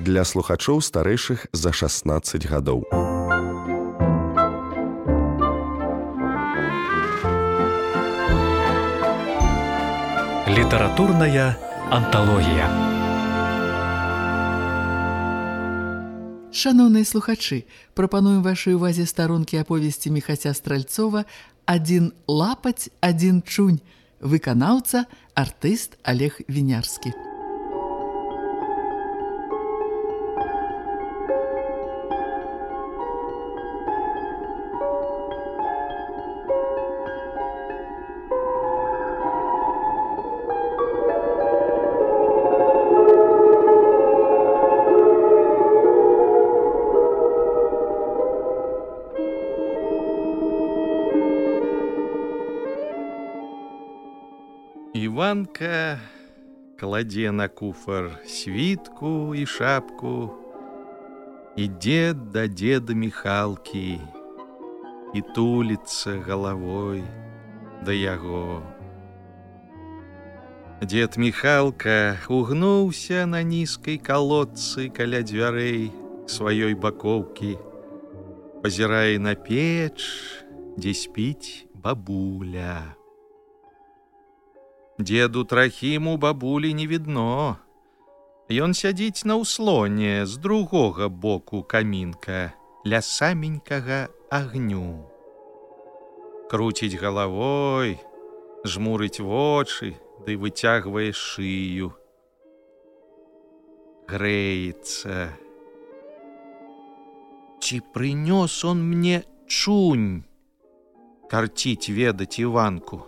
для слухачоў старэйшых за 16 гадоў. Літаратурная анталогія. Шаноўныя слухачы, прапануем вашай увазе старонкі аповесці Міхася Стральцова «Адзін лапаць, адзін чунь», выканаўца, артыст Олег Вінярскі. Іванка кладзе на куфар світку і шапку, ідзе да дзеда Міхалкі і туліцца галавой да яго. Дзед Міхалка угнуўся на нізкай калодцы каля дзвярэй сваёй бакоўкі, пазірае на печ, дзе спіць бабуля. Деду Трахіму бабулі не відно. Ён сядзіць на ўслоне з другога боку камінка ля саменькага агню. Круціць галавой, жмурыць вочы ды выцягвае шыю. Грэецца. Ці прынёс он мне чунь? Карціць ведаць Іванку.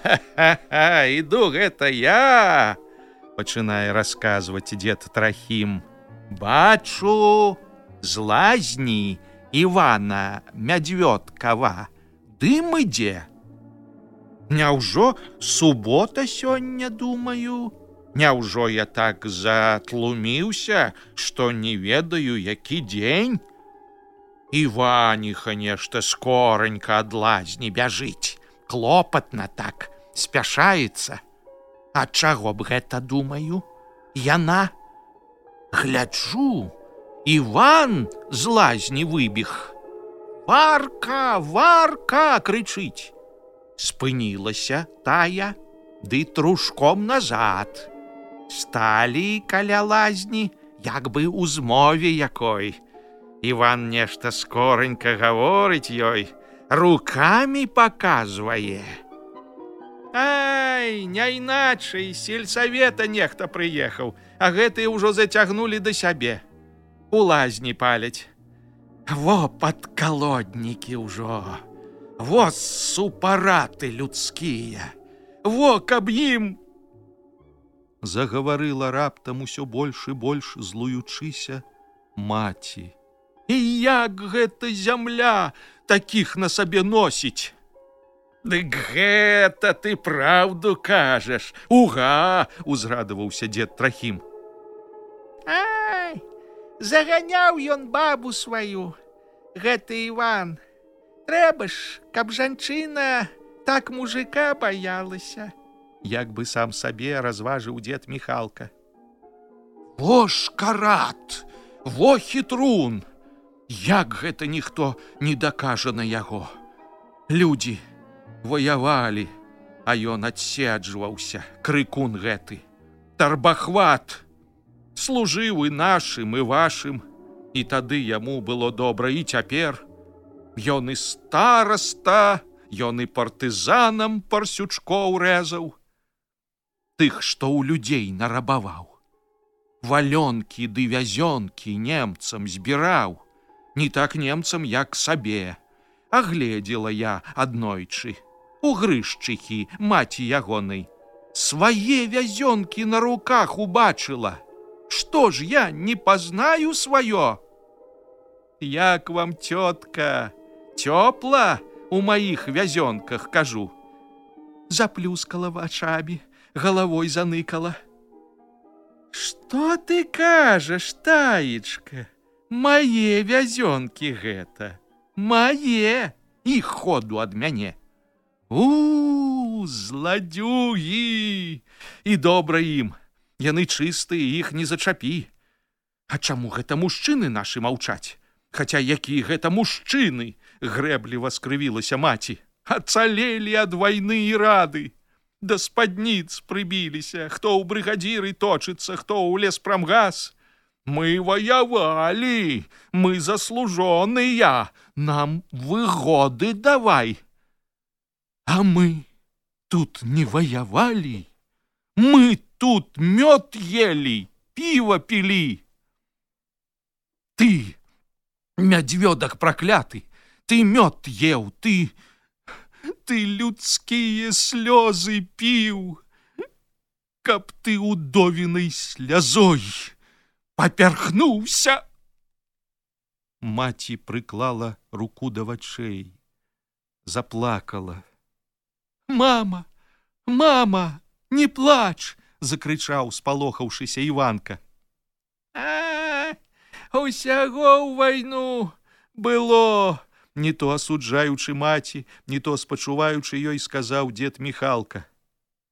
«Ха-ха-ха, іду, гэта я!» – пачынае расказваць дзед Трахім. «Бачу з лазні Івана Мядзвёдкава дым ідзе. Няўжо субота сёння, думаю? Няўжо я так затлуміўся, што не ведаю, які дзень? Іваніха нешта скоранька ад лазні бяжыць. Клопатна так, спяшаецца. А чаго б гэта, думаю? Яна. Гляджу, Іван з лазні выбег. «Варка, Варка!» крычыць. Спынілася тая, ды трушком назад. Сталі каля лазні, як бы ў змове якой. Іван нешта скоранька гаворыць ёй, руками показвае. Ай, не іначай, з сельсавета нехта прыехаў, а гэтыя ўжо зацягнулі да сябе. У лазні паляць. Во падкалоднікі ўжо, во супараты людскія, во каб ім... Загаварыла раптам усё больш і больш злуючыся маці. І як гэта зямля такіх на сабе носіць? Дык гэта ты праўду кажаш. Уга! Узрадаваўся дзед Трахім. Ай, заганяў ён бабу сваю, гэты Іван. Трэба ж, каб жанчына так мужика баялася. Як бы сам сабе разважыў дзед Міхалка. Во шкарат, во хітрун! Як гэта ніхто не дакажа на яго. Людзі ваявалі, а ён адседжваўся, крыкун гэты. Тарбахват. Служыў і нашым, і вашым. І тады яму было добра, і цяпер. Ён і стараста, ён і партызанам парсючкоў рэзаў. Тых, што ў людзей нарабаваў. Валёнкі ды вязёнкі немцам збіраў. Не так немцам, як сабе. Агледзела я аднойчы. У Грышчыхі, маці ягонай. Свае вязёнкі на руках убачыла. Што ж я не пазнаю сваё? Як вам, цётка, цёпла у маіх вязёнках, кажу. Заплюскала вачамі, галавой заныкала. Што ты кажаш, таечка? Мае вязёнкі гэта. Мае, і ходу ад мяне. Зладзюгі! І добра ім. Яны чыстыя, іх не зачапі. А чаму гэта мужчыны нашы маўчаць? Хаця якія гэта мужчыны, грэбліва скрывілася маці. Ацалелі ад вайны і рады. Да спадніц прыбіліся, хто ў брыгадзіры точыцца, хто ў леспрамгас. Мы ваявалі, мы заслужоныя, нам выгоды давай. А мы тут не ваявалі, мы тут мёд ели, піва пілі. Ты, мядзвёдак пракляты, ты мёд еў, ты людскія слёзы піў, каб ты удовінай слязой папярхнуўся. Маці прыклала руку да вачэй, заплакала. Мама, мама, не плач, закрычаў, спалохаўшыся Іванка. Усяго ў вайну было, не то асуджаючы маці, не то спачуваючы ёй, сказаў дзед Міхалка.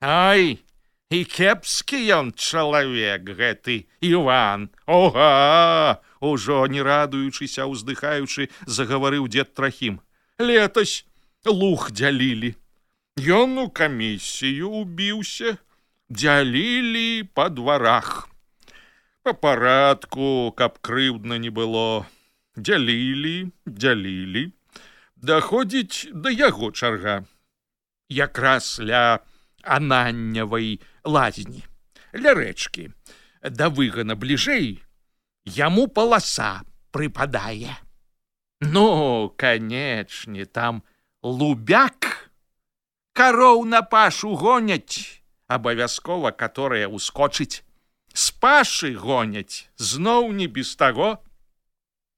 Ай, і кепскі ён чалавек гэты Іван. Ога! Ужо не радуючыся, уздыхаючы, загаварыў дзед Трахім. Летась луг дзялілі. Ён у камісію убіўся, дзялілі па дварах. Па парадку, каб крыўдна не было. Дзялілі. Даходзіць да яго чарга. Якраз ля Ананнявай лазні, ля рэчкі. Да выгана бліжэй яму паласа прыпадае. Ну, канечне, там лубяк. Кароў на пашу гоняць, абавязкова каторая ускочыць. З пашы гоняць, зноў не без таго.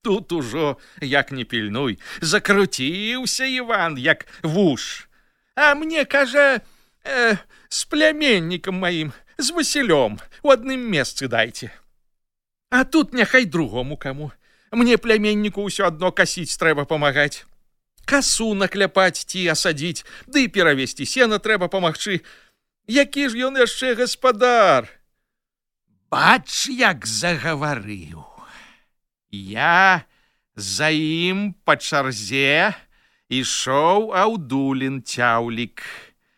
Тут ужо, як не пільнуй, закруціўся Іван, як вуш. А мне, кажа, з пляменнікам маім, з Васілём, у адным месцы дайце. А тут няхай другому каму. Мне пляменніку ўсё адно касіць трэба памагаць. Касу накляпаць ці асадзіць, ды перавесці сена трэба памагчы. Які ж ён яшчэ гаспадар? Бач, як загаварыў. Я за ім па чарзе ішоў Аўдулін цяўлік.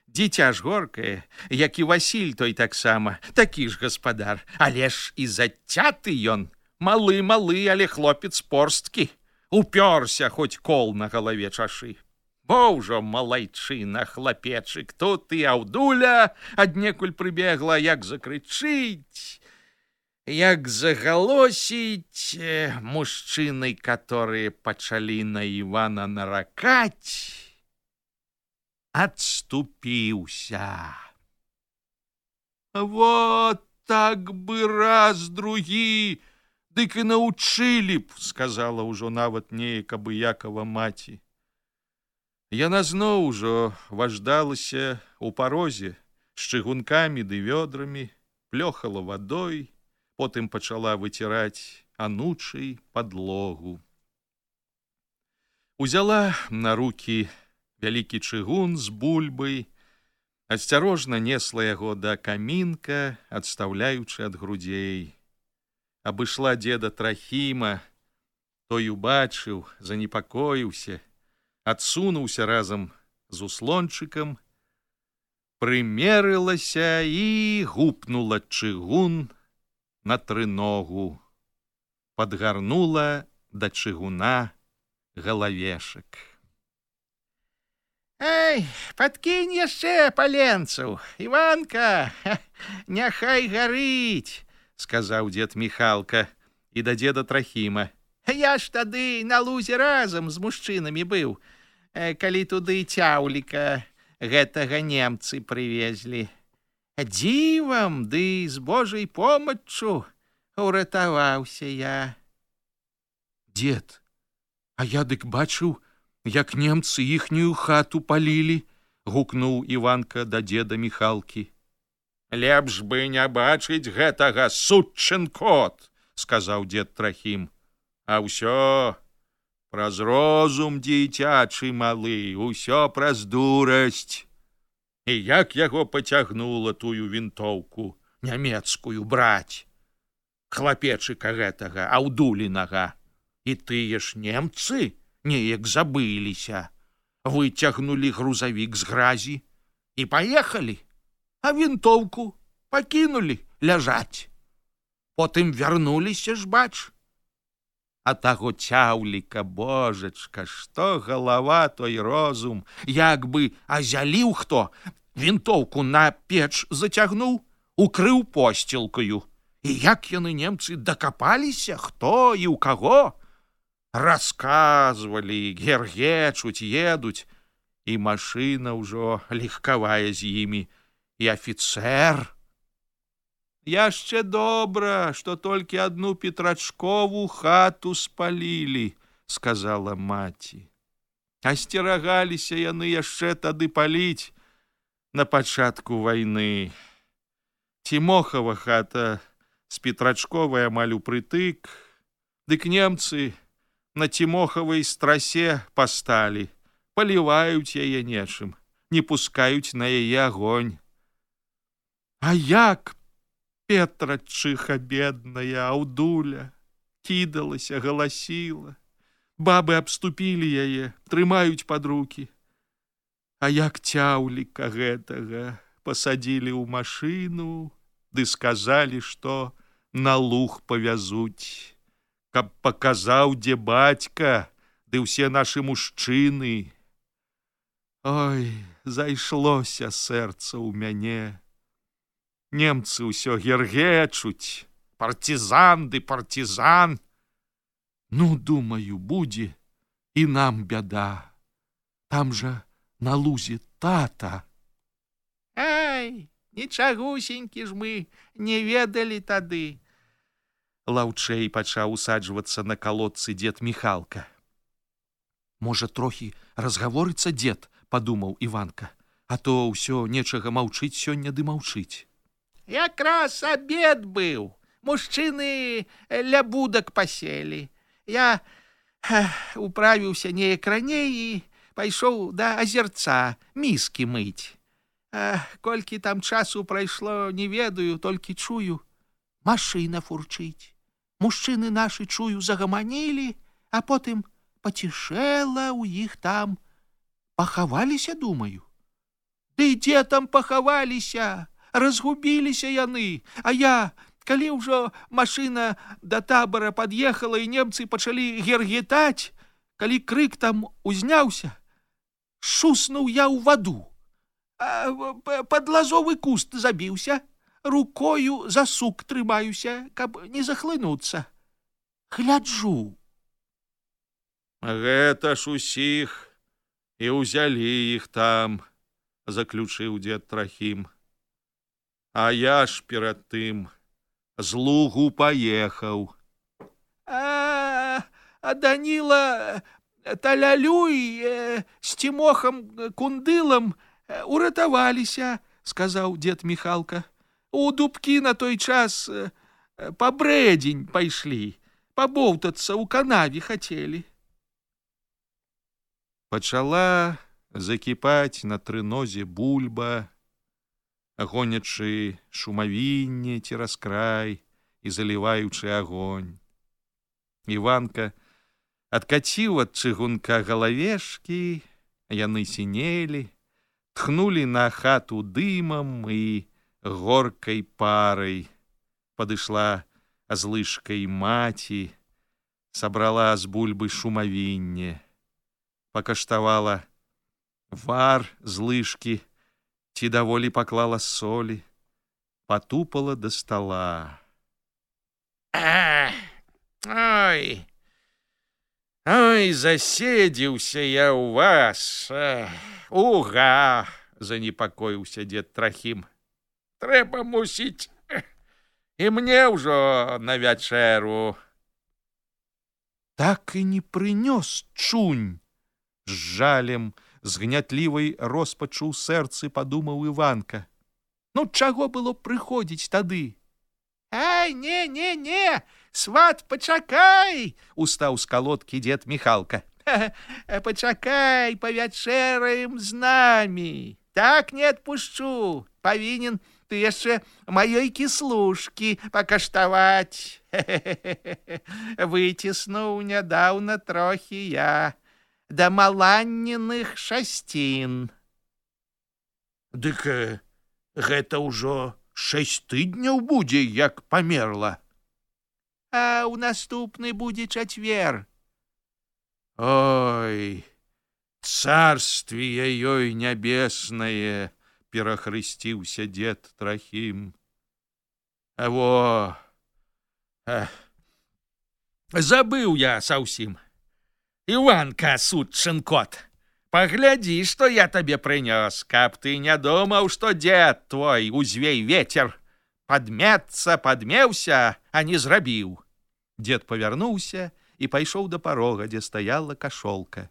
Дзіця ж горкае, як і Васіль той таксама, такі ж гаспадар. Але ж і зацяты ён, малы, але хлопец порсткі. Упёрся, хоць кол на галаве чашы. Бо ўжо малайчына, хлапечык, тут і Аўдуля аднекуль прыбегла, як закрычыць, як загалосіць. Мужчыны, которые пачалі на Івана наракаць, адступіўся. Вот так бы раз, другі, дык і научылі б, сказала ўжо нават неяк абыякава маці. Яна зноў ужо важдалася ў парозе з чыгункамі ды вёдрамі, плёхала вадой, потым пачала выціраць анучай падлогу. Узяла на рукі вялікі чыгун з бульбай, асцярожна несла яго да камінка, адстаўляючы ад грудзей. Абышла дзеда Трахіма, той убачыў, занепакоіўся, адсунуўся разам з услончыкам, прымерылася і гупнула чыгун на трыногу, падгарнула да чыгуна галавешак. Эй, падкінь яшчэ паленцаў, Іванка, няхай гарыць, сказаў дзед Міхалка і да дзеда Трахіма. Я ж тады на лузе разам з мужчынамі быў, калі туды цяўліка гэтага немцы прывезлі. Дзівам ды з Божай помаччу уратаваўся я. Дзед, а я дык бачыў, як немцы іхнюю хату палілі, гукнуў Іванка да дзеда Міхалкі. Лепш бы не бачыць гэтага, сучын кот, сказаў дзед Трахім. А ўсё праз розум дзіцячы малы, усё праз дурасць. І як яго пацягнула тую вінтоўку нямецкую браць. хлапечыка гэтага, аўдулінага. І тыя ж немцы неяк забыліся. Выцягнулі грузавік з гразі і паехалі, а вінтоўку пакінулі ляжаць. Потым вярнуліся ж, бач. А таго цяўліка, божачка, што галава, той розум, як бы азяліў хто, вінтоўку на печ зацягнуў, укрыў посцілкаю. І як яны, немцы, дакапаліся, хто і ў каго? Расказвалі, гергечуць, едуць, і машына ўжо легкавая з імі, і афіцэр. Яшчэ добра, што толькі адну Петрачкову хату спалілі, сказала маці. Асцерагаліся яны яшчэ тады паліць на пачатку вайны. Тимохова хата з Петрачковай амаль упрытык, дык немцы на Тимохавай страсе пасталі, паліваюць яе нечым, не пускаюць на яе агонь. А як Петрачыха бедная, аўдуля, кідалася, галасіла. Бабы абступілі яе, трымаюць пад рукі. А як цяўліка гэтага пасадзілі ў машыну, ды сказалі, што на луг павязуць, каб паказаў, дзе бацька, ды ўсе нашы мужчыны. Ой, зайшлося сэрца ў мяне. Немцы ўсё гергечуць, партизан ды партизан. Ну, думаю, будзе і нам бяда. Там жа на лузе тата. Ай, нічагусенькі ж мы не ведалі тады. Лаўчэй пачаў усаджвацца на калодцы дзед Міхалка. Можа, трохі разгаворыцца дзед, падумаў Іванка, а то ўсё нечага маўчыць сёння ды маўчыць. Якраз абед быў. Мужчыны ля будак паселі. Я управіўся неяк раней і пайшоў да азерца міскі мыць. Колькі там часу прайшло, не ведаю, толькі чую, машына фурчыць. Мужчыны нашы, чую, загаманілі, а потым пацішэла ў іх там. Пахаваліся, думаю. Ды дзе там пахаваліся? Разгубіліся яны, а я, калі ўжо машына да табара пад'ехала і немцы пачалі гергетаць, калі крык там узняўся, шуснуў я ў ваду, пад лазовы куст забіўся, рукою за сук трымаюся, каб не захлынуцца. Гляджу. Гэта ж усіх і ўзялі іх там, заключыў дзед Трахім. А я ж перад тым з лугу паехаў. А Даніла Талялюй з Тимохам Кундылам уратаваліся, сказаў дзед Міхалка. У дубкі на той час па брэдзень пайшлі, пабоўтацца ў канаве хацелі. Пачала закіпаць на трынозе бульба, гонячы шумавінне цераз край і заліваючы агонь. Іванка адкаціў ад чыгунка галавешкі, яны сінелі, тхнулі на хату дымам і горкай парай. Падышла з лыжкай маці, сабрала з бульбы шумавінне, пакаштавала вар з лыжкі, ці даволі паклала солі, патупала да стала. Ой, заседзіўся я ў вас. Уга, занепакоіўся дзед Трахім. Трэба, мусіць, і мне ўжо на вячэру. Так і не прынёс чунь, з жалем, з гнятлівай роспачу ў сэрцы падумаў Іванка. Ну, чаго было прыходзіць тады? Ай, не, сват, пачакай, устаў з калодкі дзед Міхалка. Пачакай, павячэраем з намі. Так не адпушчу. Павінен ты яшчэ маёй кіслушкі пакаштаваць. Выціснуў нядаўна трохі я да маланніных шасцін. Дык гэта ўжо 6 тыдняў будзе, як памерла. А ў наступны будзе чацвер. Ой, царствие ёй нябеснае, перахрысціўся дзед Трахім. Во, забыў я саўсім. Іванка, сучын кот, паглядзі, што я табе прынёс, каб ты не думаў, што дзед твой узвей вецер. Падмецца, падмеўся, а не зрабіў. Дзед павярнуўся і пайшоў да парога, дзе стаяла кашолка.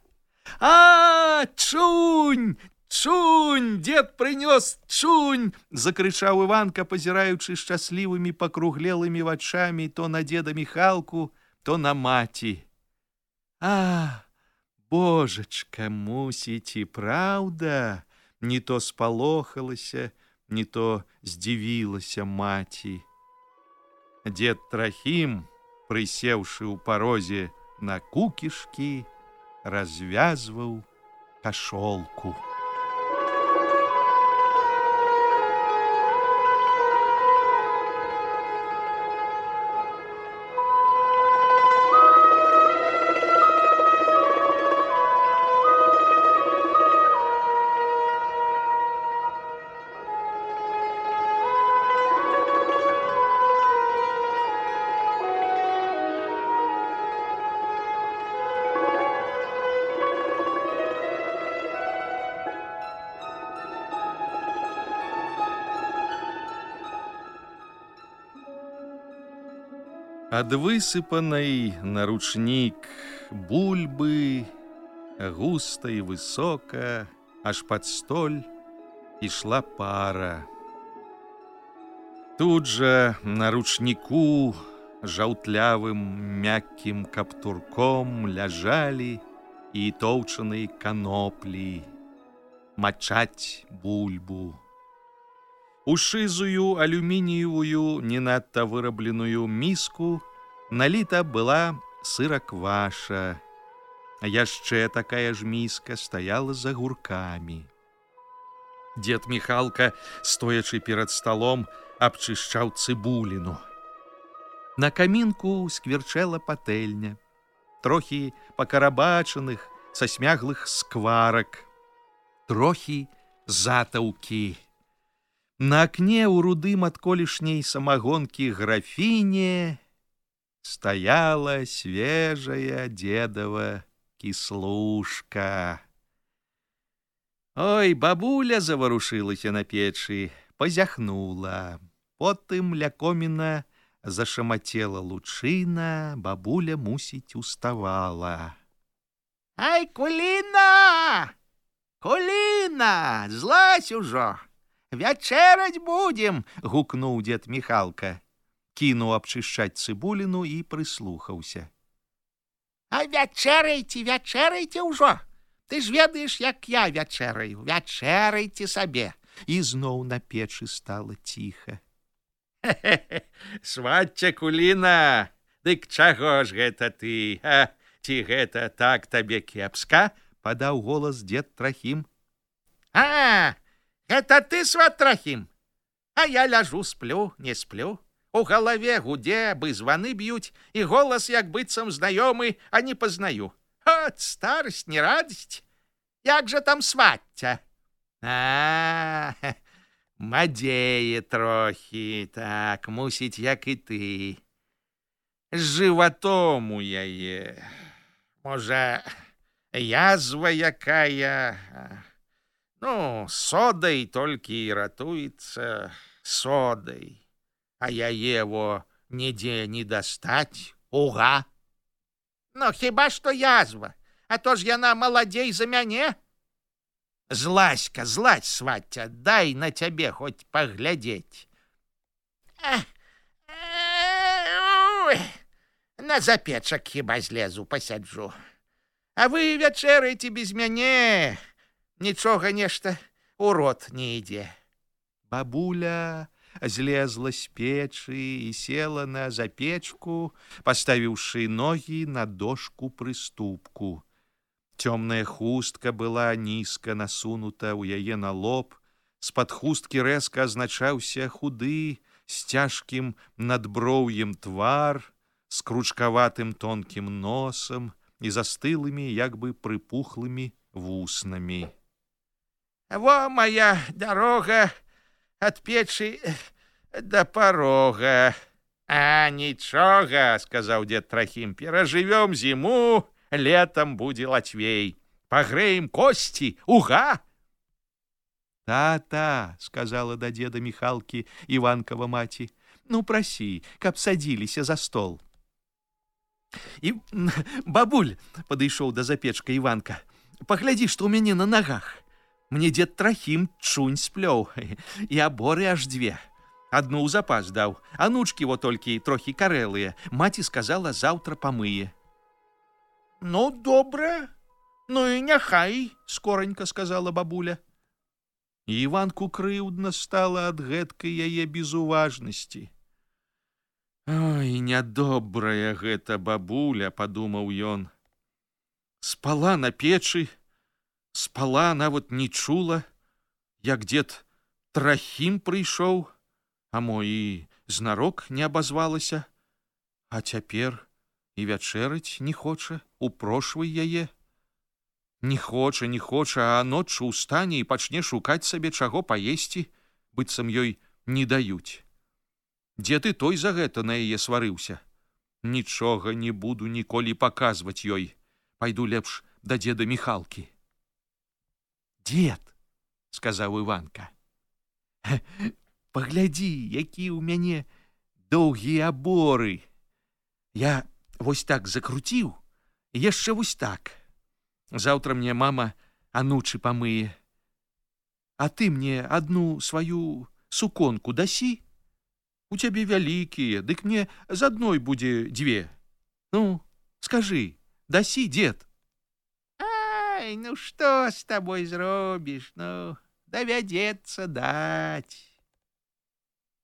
А, чунь! Чунь! Дзед прынёс чунь! Закрычаў Іванка, пазіраючы шчаслівымі пакруглелымі вачамі то на дзеда Міхалку, то на маці. А, божачка, мусіць і праўда, не то спалохалася, не то здзівілася маці. Дзед Трахім, прысеўшы ў парозе на кукішкі, развязваў кашолку. Ад высыпанай на ручнік бульбы густа і высока, аж пад столь ішла пара. Тут жа на ручніку жаўтлявым мяккім каптурком ляжалі і тоўчаныя каноплі, мачаць бульбу. У шызую алюмініевую, не надта вырабленую міску наліта была сыракваша, а яшчэ такая ж міска стаяла за гуркамі. Дзед Міхалка, стоячы перад сталом, абчышчаў цыбуліну. На камінку скверчэла патэльня, трохі пакарабачаных са смяглых скварак, трохі затаўкі. На акне ў рудым ад колішняй самагонкі графіне стаяла свежая дзедава кіслушка. Ой, бабуля заварушылася на печы, пазяхнула. Потым ля коміна зашамацела лучына, бабуля, мусіць, уставала. Ай, Куліна! Куліна! Злазь ужо! Вячэраць будзем! Гукнуў дзед Міхалка. Кінуў абчышчаць цыбуліну і прыслухаўся. А вячэрайце, вячэрайце ўжо! Ты ж ведаеш, як я вячэраю. Вячэрайце сабе. І зноў на печы стала ціха. Свацця, Куліна, дык чаго ж гэта ты? Ці гэта так табе кепска? Падаў голас дзед Трахім. А, гэта ты, сват Трахім? А я ляжу, сплю, не сплю. У галаве гудзе, бы званы б'юць, і голас як быццам знаёмы, а не пазнаю. От, старасць, не радасць. Як жа там свацця? А, мадзее трохі, так, мусіць, як і ты. З жыватом у яе. Можа, язва якая. Ну, содай толькі і ратуецца, содай. А яе во нідзе не дастаць, уга. Ну, хіба што язва, а то ж яна маладзей за мяне. Злазь-ка, злазь, свацця, дай на цябе хоць паглядзець. На запечак хіба злезу, пасяджу. А вы вячэрайце без мяне. Нічога нешта ў рот не ідзе. Бабуля злезла з печы і села на запечку, паставіўшы ногі на дошку прыступку. Цёмная хустка была нізка насунута ў яе на лоб, з-пад хусткі рэзка азначаўся худы, з цяжкім надброўем твар, з кручкаватым тонкім носам і застылымі, як бы прыпухлымі вуснамі. «Во моя дорога от печи до порога». «А нічога, — сказаў дед Трахім, — перажывём зіму, летом будзе лацвей. Пагрэем косці, уга!» «Та-та, — сказала да деда Міхалкі Іванкова маці, — ну прасі, каб садзіліся за стол». «І, бабуль, — падышоў да запечка Іванка, — паглядзі, што ў мяне на нагах. Мне дед Трахім чунь сплёў, і аборы аж дзве. Адну ў запас даў, анучкі во толькі трохі карэлыя. Маці сказала, заўтра памые». «Ну, добра, ну і няхай, — скоранька сказала бабуля». І Іванку крыўдна стала ад гэткай яе безуважнасці. «Ой, нядобрая гэта бабуля, — падумаў ён. Спала на печы, спала, нават не чула, як дед Трахім прыйшоў, а мо і знарок не абазвалася, а цяпер і вячэраць не хоча, упрошвай яе. Не хоча, а ноччу ўстане і пачне шукаць сабе чаго паесці, быццам ёй не даюць. Дзед і той за гэта на яе сварыўся. Нічога не буду ніколі паказваць ёй. Пайду лепш да деда Міхалкі». «Дед, — сказаў Іванка, — паглядзі, які ў мяне доўгія аборы. Я вось так закруціў, і яшчэ вось так. Заўтра мне мама анучы памые. А ты мне адну сваю суконку дасі? У цябе вялікія, дык мне з адной будзе дзве. Ну, скажы, дасі, дед?» «Ай, ну што з табой зробіш, ну, давядзецца даць».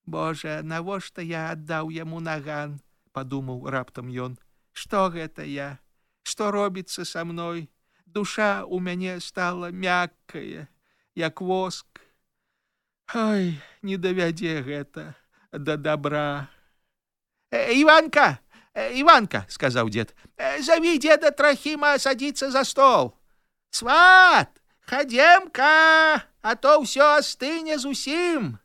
«Божа, навошта я аддаў яму наган?» — падумаў раптам ён. «Што гэта я? Што робіцца са мной? Душа ў мяне стала мяккая, як воск. Ой, не давядзе гэта да добра». «Іванка, Іванка, — сказаў дед, — заві деда Трахіма садзіцца за стол. Сват, хадзем-ка, а то ўсё астыне зусім».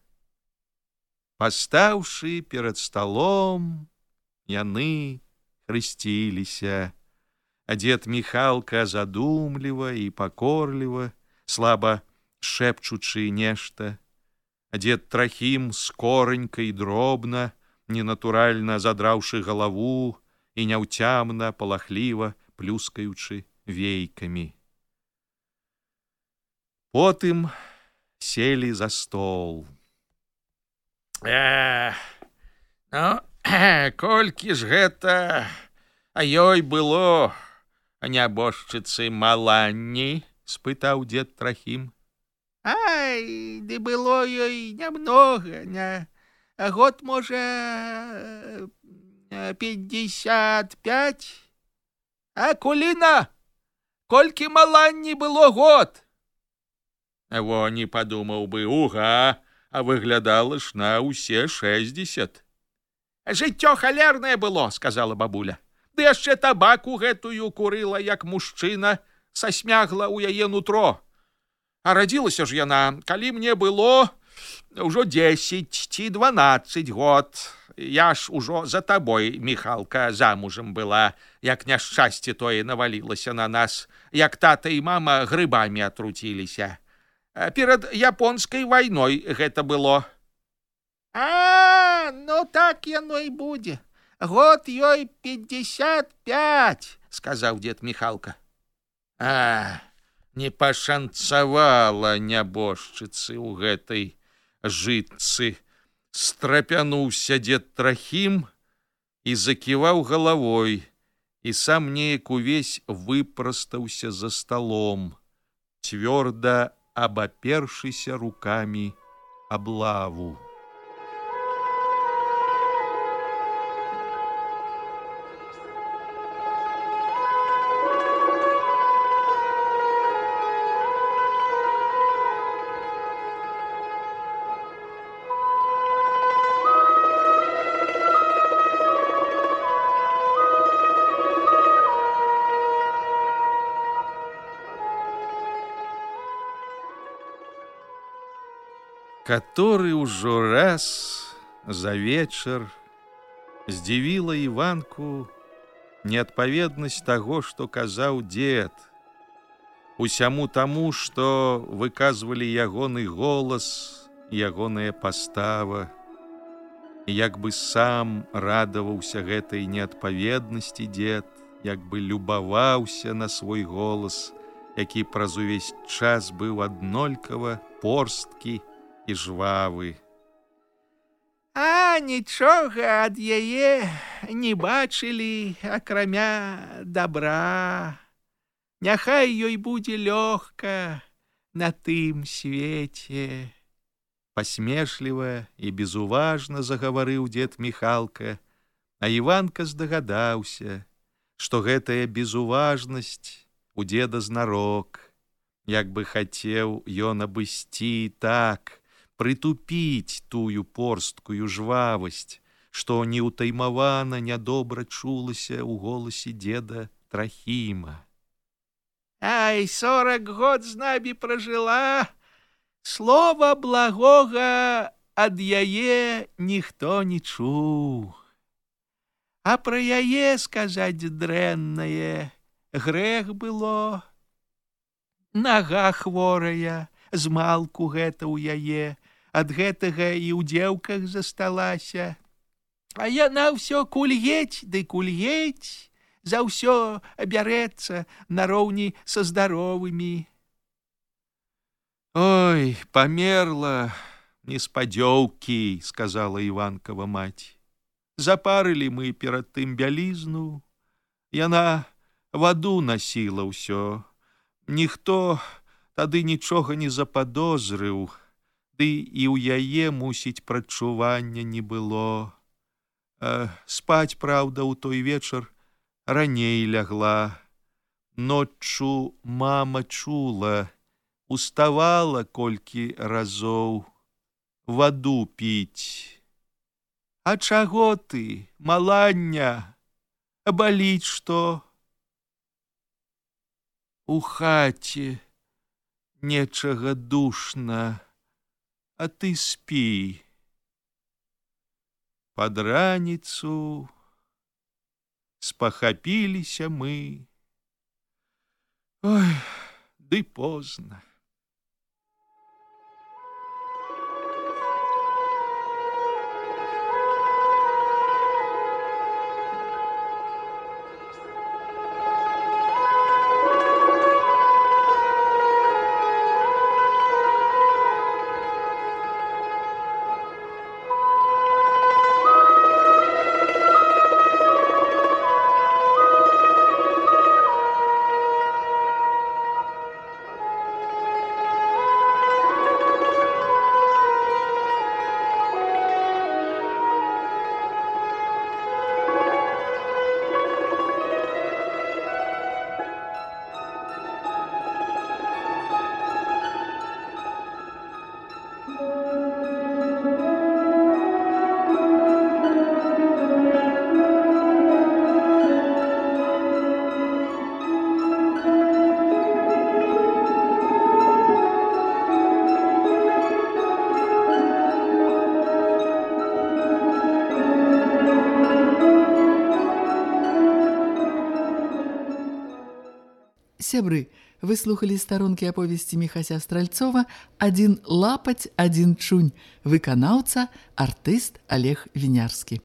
Пастаўшы перад сталом, яны хрысціліся, а дед Міхалка задумліва і пакорліва, слаба шэпчучы нешта, а дед Трахім скоранька і дробна, ненатуральна задраўшы галаву і няўцямна, палахліва плюскаючы вейкамі. Потым селі за стол. «Ну, колькі ж гэта ёй было, нябожчыцы Маланні?» — спытаў дед Трахім. «Ай, ды было ёй нямнога, год, можа, 55. А Куліна, колькі Маланні было год?» Во, не падумаў бы, уга, а выглядала ж на ўсе 60. «Жыццё халернае было, — сказала бабуля. Ды яшчэ табаку гэтую курыла, як мужчына, сасмягла ў яе нутро. А радзілася ж яна, калі мне было ўжо 10 ці 12 год. Я ж ужо за табой, Міхалка, замужам была, як няшчасце тое навалілася на нас, як тата і мама грыбамі атруціліся. Перад японскай вайной гэта было». «А, ну так яно і будзе. Год ёй 55, — сказаў дед Міхалка. «А, не пашанцавала нябожчыцы ў гэтай жытцы», — страпянуўся дед Трахім і заківаў галавой, і сам неяк увесь выпрастаўся за сталом, цвёрда абапершыся рукамі аблаву. Который ўжо раз за вечар здзівіла Іванку неадпаведнасць таго, што казаў дзед, усяму таму, што выказвалі ягоны голас, ягоная пастава, і як бы сам радаваўся гэтай неадпаведнасці дзед, як бы любаваўся на свой голас, які праз увесь час быў аднолькава порсткі і жвавы. А нічога ад яе не бачылі, акрамя добра. Няхай ёй будзе лёгка на тым свеце. Пасмешліва і безуважна загаварыў дзед Міхалка, а Іванка здагадаўся, што гэтая безуважнасць у дзеда знарок, як бы хацеў ён абысці так, прытупіць тую порсткую жвавасць, што неўтаймавана нядобра чулася ў голасе дзеда Трахіма. Ай, 40 год з намі пражыла, слова благога ад яе ніхто не чуў. А пра яе сказаць дрэннае грэх было. Нага хворая, змалку гэта ў яе, ад гэтага і ў дзеўках засталася. А яна ўсё кульгець ды кульгець, за ўсё бярэцца нароўні са здаровымі. Ой, памерла неспадзёўкі, сказала Іванкава маці. Запарылі мы перад тым бялізну, яна ваду насіла ўсё. Ніхто тады нічога не западозрыў, ды і ў яе, мусіць, прадчування не было. Спаць, праўда, у той вечар раней лягла. Ноччу мама чула, уставала колькі разоў ваду піць. А чаго ты, малання, баліць што? У хаце нечага душна, а ты спі. Пад раніцу спахапіліся мы. Ой, ды позна. Сябры, вы слухали старонкі аповесці Міхася Стральцова «Адзін лапаць, адзін чунь», выканаўца, артыст Олег Вінярскі.